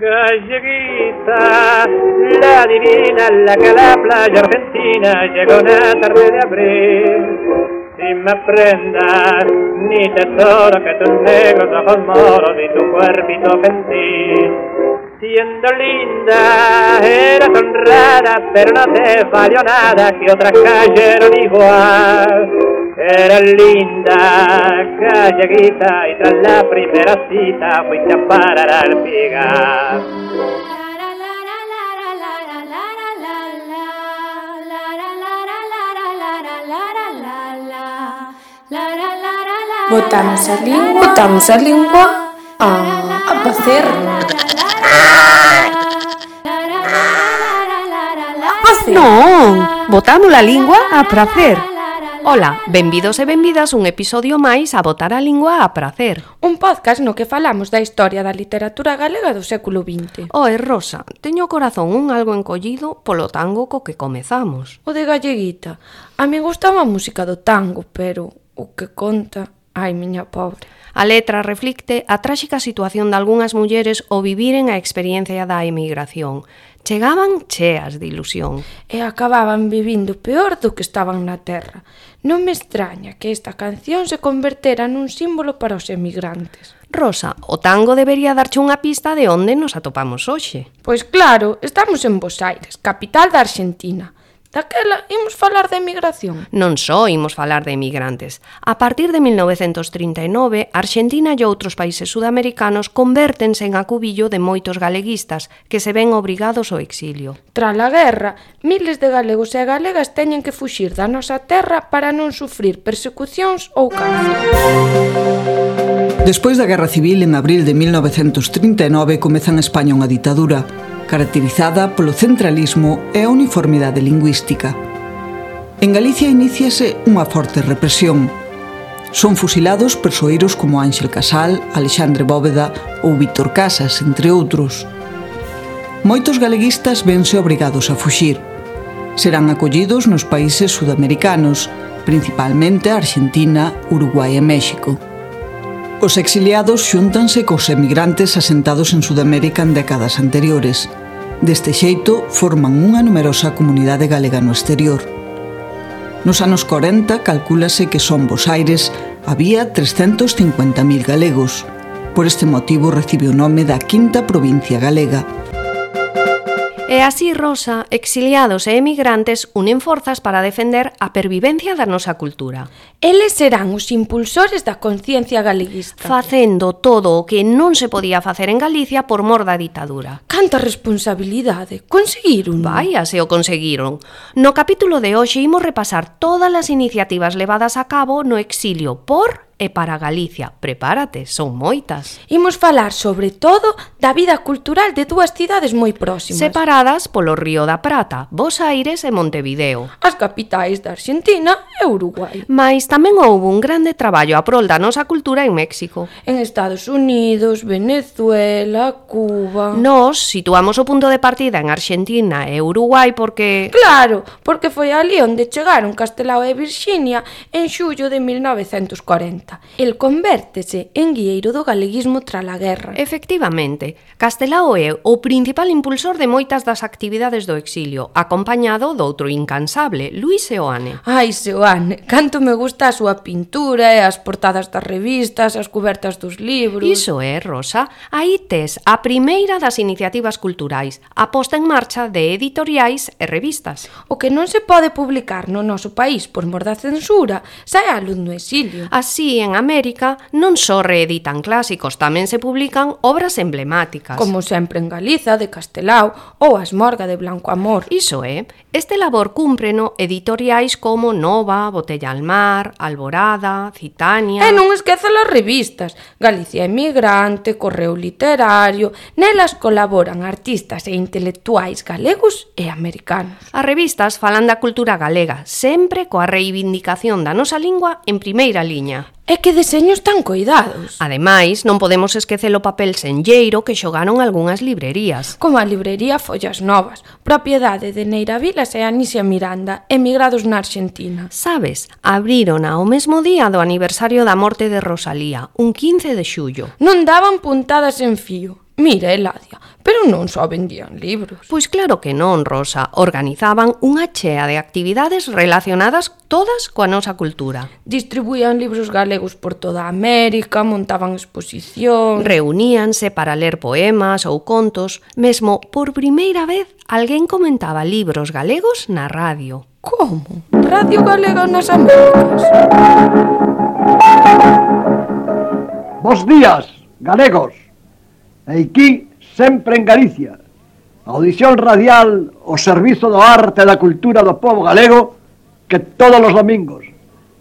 Galleguita, la divina, la que la playa argentina llegó una tarde de abril. Sin más prendas, ni tesoro que tus negros ojos moros y tu cuerpito gentil. Siendo linda, eras honrada, pero no te valió nada que otras cayeron igual. Eras linda, galleguita, y tras la primera cita fuiste a parar al Pigar. Botamos a língua a facer. Non, botamos a lingua a pracer. Ola, benvidos e benvidas un episodio máis a botar a lingua a pracer. Un podcast no que falamos da historia da literatura galega do século XX. Oe, Rosa, teño o corazón un algo encollido polo tango co que comezamos. O de Galleguita. A mí gustaba a música do tango, pero o que conta... Ai, miña pobre. A letra reflicte a tráxica situación de algunhas mulleres ao viviren a experiencia da emigración. Chegaban cheas de ilusión. E acababan vivindo peor do que estaban na terra. Non me extraña que esta canción se convertera nun símbolo para os emigrantes. Rosa, o tango debería darche unha pista de onde nos atopamos hoxe. Pois claro, estamos en Bos Aires, capital da Argentina. Daquela, imos falar de emigración. Non só imos falar de emigrantes. A partir de 1939, Argentina e outros países sudamericanos convértense en acubillo de moitos galeguistas que se ven obrigados ao exilio. Tras a guerra, miles de galegos e galegas teñen que fuxir da nosa terra para non sufrir persecucións ou cárcel. Despois da Guerra Civil, en abril de 1939, comeza en España unha ditadura caracterizada polo centralismo e a uniformidade lingüística. En Galicia iníciase unha forte represión. Son fusilados persoeiros como Ángel Casal, Alexandre Bóveda ou Víctor Casas, entre outros. Moitos galeguistas vense obrigados a fuxir. Serán acollidos nos países sudamericanos, principalmente Argentina, Uruguai e México. Os exiliados xúntanse cos emigrantes asentados en Sudamérica en décadas anteriores. Deste xeito, forman unha numerosa comunidade galega no exterior. Nos anos 40, calcúlase que son Bos Aires había 350.000 galegos. Por este motivo recibe o nome da quinta provincia galega. E así, Rosa, exiliados e emigrantes unen forzas para defender a pervivencia da nosa cultura. Eles serán os impulsores da conciencia galeguista. Facendo todo o que non se podía facer en Galicia por mor da ditadura. Canta responsabilidade. Conseguiron. Vaia, se o conseguiron. No capítulo de hoxe imos repasar todas as iniciativas levadas a cabo no exilio por e para Galicia. Prepárate, son moitas. Imos falar sobre todo da vida cultural de dúas cidades moi próximas, separadas polo Río da Prata, Bos Aires e Montevideo, as capitais da Argentina e Uruguai. Mais tamén houve un grande traballo a prol da nosa cultura en México, en Estados Unidos, Venezuela, Cuba. Nós situamos o punto de partida en Argentina e Uruguai porque... Claro, porque foi ali onde chegaron Castelao e Virxinia en xullo de 1940. El convértese en guieiro do galeguismo tras a guerra. Efectivamente, Castelao é o principal impulsor de moitas das actividades do exilio, acompañado doutro incansable, Luis Seoane. Ai, Seoane, canto me gusta a súa pintura e as portadas das revistas, as cubertas dos libros. Iso é, Rosa, aí tes a primeira das iniciativas culturais, a posta en marcha de editoriais e revistas. O que non se pode publicar no noso país por mor da censura, sae a luz no exilio. Así, en América, non só reeditan clásicos, tamén se publican obras emblemáticas. Como sempre en Galiza, de Castelao, ou As Morga de Blanco Amor. Iso é, este labor cúmpreno editoriais como Nova, Botella al Mar, Alborada, Citania... E non esqueza as revistas, Galicia Emigrante, Correo Literario, nelas colaboran artistas e intelectuais galegos e americanos. As revistas falan da cultura galega, sempre coa reivindicación da nosa lingua en primeira liña. E que deseños tan coidados. Ademais, non podemos esquecer o papel senlleiro que xogaron algunhas librerías. Como a librería Follas Novas, propiedade de Neira Vilas e Anisia Miranda, emigrados na Argentina. Sabes, abriron ao mesmo día do aniversario da morte de Rosalía, un 15 de xullo. Non daban puntadas en fío. Mira, Eladia, pero non só vendían libros. Pois claro que non, Rosa. Organizaban unha chea de actividades relacionadas todas coa nosa cultura. Distribuían libros galegos por toda América, montaban exposicións. Reuníanse para ler poemas ou contos. Mesmo, por primeira vez, alguén comentaba libros galegos na radio. Como? Radio Galega nas Américas? Bos días, galegos. Aquí, sempre en Galicia. Audición radial ao servizo do arte e da cultura do povo galego que todos os domingos,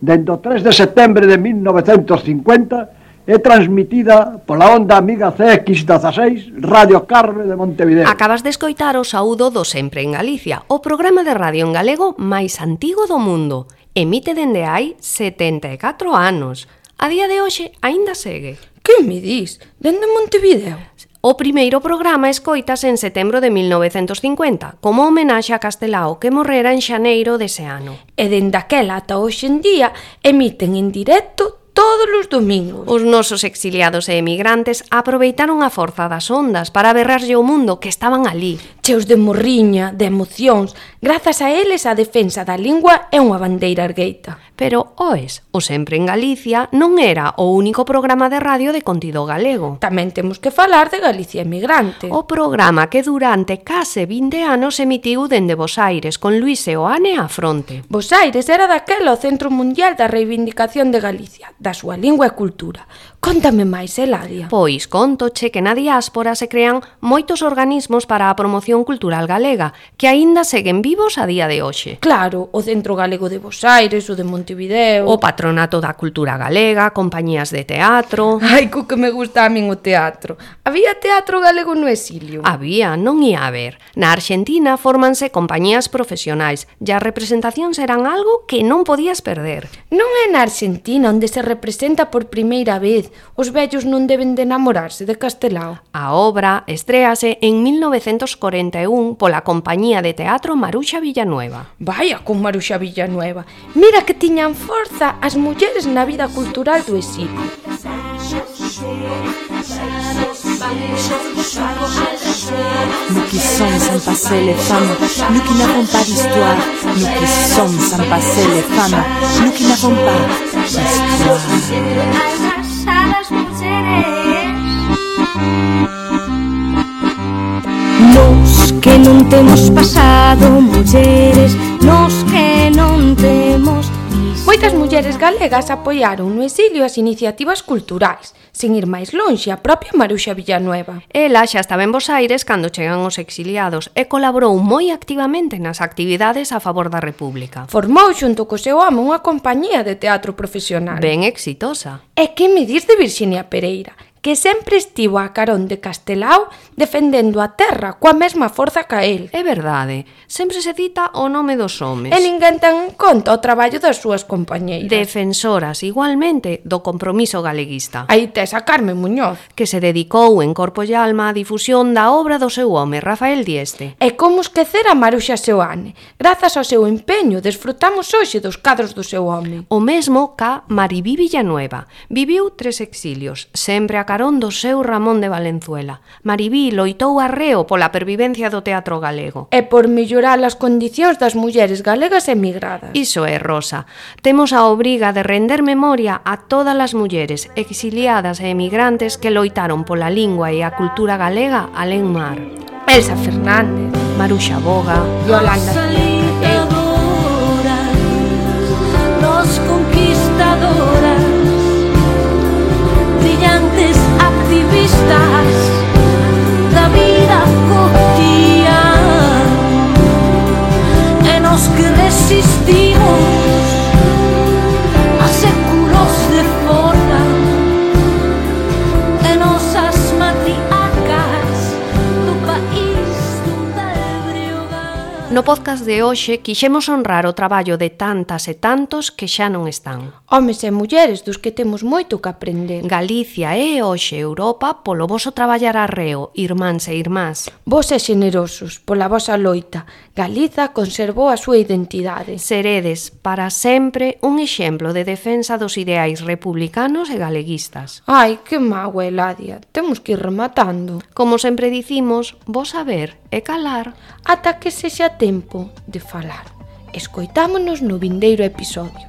dende o 3 de setembro de 1950, é transmitida pola onda amiga CX16 Radio Carme de Montevideo. Acabas de escoitar o saúdo do Sempre en Galicia, o programa de radio en galego máis antigo do mundo. Emite dende hai 74 anos. A día de hoxe aínda segue. Que me dis? Dende Montevideo? O primeiro programa escoitase en setembro de 1950, como homenaxe a Castelao, que morrera en xaneiro dese ano. E dende aquela ata hoxe en día emiten en directo todos os domingos. Os nosos exiliados e emigrantes aproveitaron a forza das ondas para berrarlle o mundo que estaban ali. Cheos de morriña, de emocións, grazas a eles a defensa da lingua é unha bandeira ergueita. Pero, oes, o Sempre en Galicia non era o único programa de radio de contido galego. Tamén temos que falar de Galicia Emigrante. O programa que durante case 20 anos emitiu dende Bos Aires con Luis Seoane á fronte. Bos Aires era daquela o Centro Mundial da Reivindicación de Galicia, da súa lingua e cultura. Contame máis, Eladia. Pois contoche que na diáspora se crean moitos organismos para a promoción cultural galega, que aínda seguen vivos a día de hoxe. Claro, o Centro Galego de Bos Aires, o de Montevideo, o Patronato da Cultura Galega, compañías de teatro. Ai, co que me gusta a min o teatro. Había teatro galego no exilio? Había, non ia haber. Na Argentina fórmanse compañías profesionais e as representacións eran algo que non podías perder. Non é na Argentina onde se representa por primeira vez Os vellos non deben de enamorarse de Castelao. A obra estréase en 1941 pola compañía de teatro Maruxa Villanueva. Vaya con Maruxa Villanueva. Mira que tiñan forza as mulleres na vida cultural do exilio. Nous qui sommes sans passer les femmes, nous qui n'avons pas d'histoire, nous qui sommes sans passer les femmes, nous qui n'avons pas d'histoire. Nos que non temos pasado, mulleres, nos que non temos... Moitas mulleres galegas apoiaron no exilio as iniciativas culturais, sen ir máis lonxe a propia Maruxa Villanueva. Ela xa estaba en Bos Aires cando chegan os exiliados e colaborou moi activamente nas actividades a favor da República. Formou xunto co seu home unha compañía de teatro profesional. Ben exitosa. E que me dis de Virxinia Pereira, que sempre estivo a carón de Castelao defendendo a terra coa mesma forza ca el. É verdade, sempre se cita o nome dos homes. E ninguén ten en conta o traballo das súas compañeiras. Defensoras, igualmente, do compromiso galeguista. Aí tes a Carmen Muñoz, que se dedicou en corpo e alma á difusión da obra do seu home, Rafael Dieste. E como esquecer a Maruxa Seoane? Grazas ao seu empeño, desfrutamos hoxe dos cadros do seu home. O mesmo ca Maribí Villanueva. Viviu 3 exilios, sempre a carón do seu Ramón de Valenzuela. Maribí loitou arreo pola pervivencia do teatro galego. E por mellorar as condicións das mulleres galegas emigradas. Iso é, Rosa. Temos a obriga de render memoria a todas as mulleres exiliadas e emigrantes que loitaron pola lingua e a cultura galega alén mar. Elsa Fernández, Maruxa Boga, Yolanda Los conquistadoras, brillantes activistas da vida cotidiana, e nos que resistimos a séculos de forma, e nosas matriarcas do país donde Breogán. No No podcast de hoxe quixemos honrar o traballo de tantas e tantos que xa non están. Homes e mulleres dos que temos moito que aprender. Galicia e hoxe Europa polo voso traballar arreo, irmáns e irmás. Vos e xenerosos, pola vosa loita, Galiza conservou a súa identidade. Seredes, para sempre, un exemplo de defensa dos ideais republicanos e galeguistas. Ai, que mágoa, Eladia, temos que ir rematando. Como sempre dicimos, vos saber e calar. Ata que sexa tempo de falar. Escoitámonos no vindeiro episodio.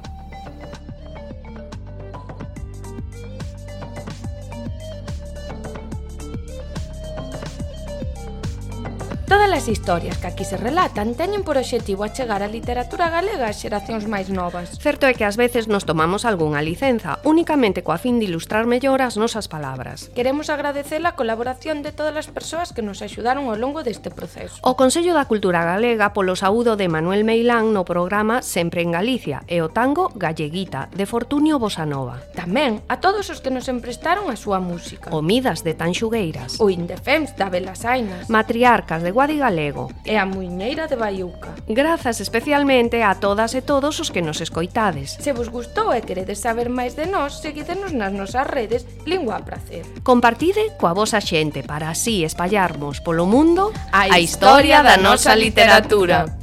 Todas as historias que aquí se relatan teñen por obxectivo achegar a literatura galega ás xeracións máis novas. Certo é que ás veces nos tomamos algunha licenza, únicamente coa fin de ilustrar mellor as nosas palabras. Queremos agradecer a colaboración de todas as persoas que nos axudaron ao longo deste proceso. O Consello da Cultura Galega polo saúdo de Manuel Meilán no programa Sempre en Galicia e o tango Galleguita, de Fortunio Bosanova. Tamén a todos os que nos emprestaron a súa música. O Midas de Tanxugueiras. O Indefems da Belasainas. Matriarcas de Guadi Galego. E a Muiñeira de Baiuca. Grazas especialmente a todas e todos os que nos escoitades. Se vos gustou e queredes saber máis de nós, seguídenos nas nosas redes Lingua a Pracer. Compartide coa vosa xente para así espallarmos polo mundo a historia da nosa literatura.